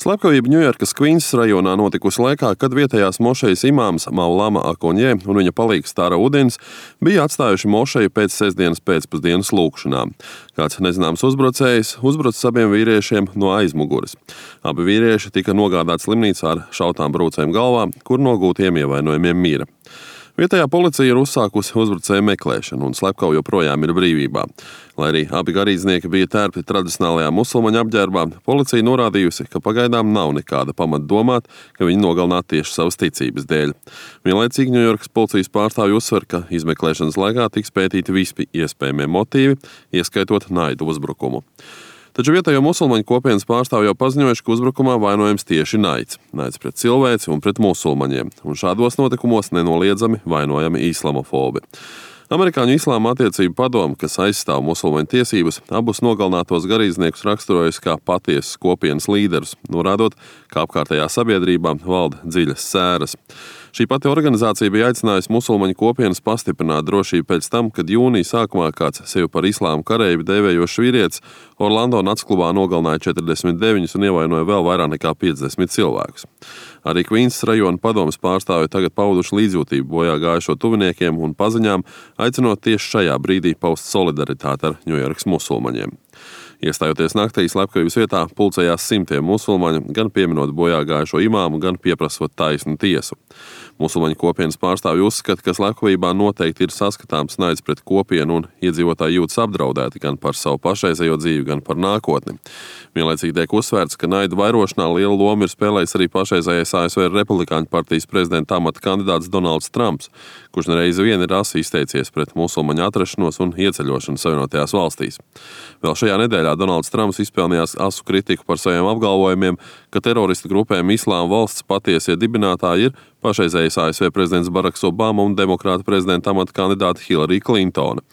Slepkavība Ņujorkas Kvīnsas rajonā notikusi laikā, kad vietējās mošejas imāms Maulama Akonjē un viņa palīgs Tara Udins bija atstājuši mošeju pēc sestdienas pēcpusdienas lūgšanām. Kāds nezināms uzbrucējs uzbrucis abiem vīriešiem no aizmugures. Abi vīrieši tika nogādāti slimnīcā ar šautām brūcēm galvā, kur nogūtiem ievainojumiem mira. Vietējā policija ir uzsākusi uzbrucēju meklēšanu un slepkava joprojām ir brīvībā. Lai arī abi garīdznieki bija tērpti tradicionālajā musulmaņu apģērbā, policija norādījusi, ka pagaidām nav nekāda pamata domāt, ka viņi nogalināti tieši savas ticības dēļ. Vienlaicīgi Ņujorkas policijas pārstāvji uzsver, ka izmeklēšanas laikā tiks pētīti visi iespējamie motīvi, ieskaitot naidu uzbrukumu. Taču vietējo musulmaņu kopienas pārstāvji jau paziņojuši, ka uzbrukumā vainojams tieši naids. Naids pret cilvēci un pret musulmaņiem, un šādos notikumos nenoliedzami vainojami islamofobi. Amerikāņu Islāma attiecību padome, kas aizstāv musulmaņu tiesības, abus nogalinātos garīdzniekus raksturojusi kā patiesas kopienas līderus, norādot, ka apkārtējā sabiedrībā valda dziļas sēras. Šī pati organizācija bija aicinājusi musulmaņu kopienas pastiprināt drošību pēc tam, kad jūnija sākumā kāds sevi par islāma kareivi dēvējošs vīrietis Orlando naktsklubā nogalināja 49 un ievainoja vēl vairāk nekā 50 cilvēkus. Arī Kvīnsas rajona padomes pārstāvji tagad pauduši līdzjūtību bojā gājušo tuviniekiem un paziņām, aicinot tieši šajā brīdī paust solidaritāti ar Ņujorkas musulmaņiem. Iestājoties naktī, slepkavības vietā pulcējās simtiem musulmaņu, gan pieminot bojā gājušo imāmu, gan pieprasot taisnu tiesu. Musulmaņu kopienas pārstāvji uzskata, ka slepkavībā noteikti ir saskatāms naids pret kopienu un iedzīvotāji jūtas apdraudēti gan par savu pašreizējo dzīvi, gan par nākotni. Vienlaicīgi tiek uzsvērts, ka naida vairošanā lielu lomu ir spēlējis arī pašreizējais ASV Republikāņu partijas prezidenta amata kandidāts Donalds Trumps, kurš nereizi vien ir asi izteicies pret musulmaņu atrašanos un ieceļošanu Savienotajās valstīs. Vēl šajā nedēļā Donalds Trumps izpelnījās asu kritiku par saviem apgalvojumiem, ka teroristu grupējuma Islāma valsts patiesie dibinātāji ir pašreizējais ASV prezidents Baraks Obama un demokrāta prezidenta amata kandidāte Hillary Clintone.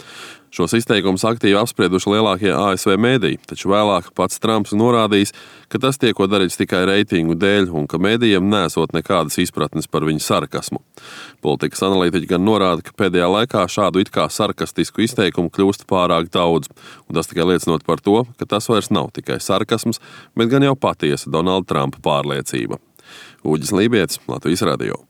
Šos izteikumus aktīvi apsprieduši lielākie ASV mēdīji, taču vēlāk pats Trumps norādījis, ka tas tiek darīts tikai reitingu dēļ un ka mēdījiem nesot nekādas izpratnes par viņu sarkasmu. Politikas analītiķi gan norāda, ka pēdējā laikā šādu it kā sarkastisku izteikumu kļūst pārāk daudz, un tas tikai liecinot par to, ka tas vairs nav tikai sarkasms, bet gan jau patiesa Donalda Trumpa pārliecība. Uģis Lībietis, Latvijas radio.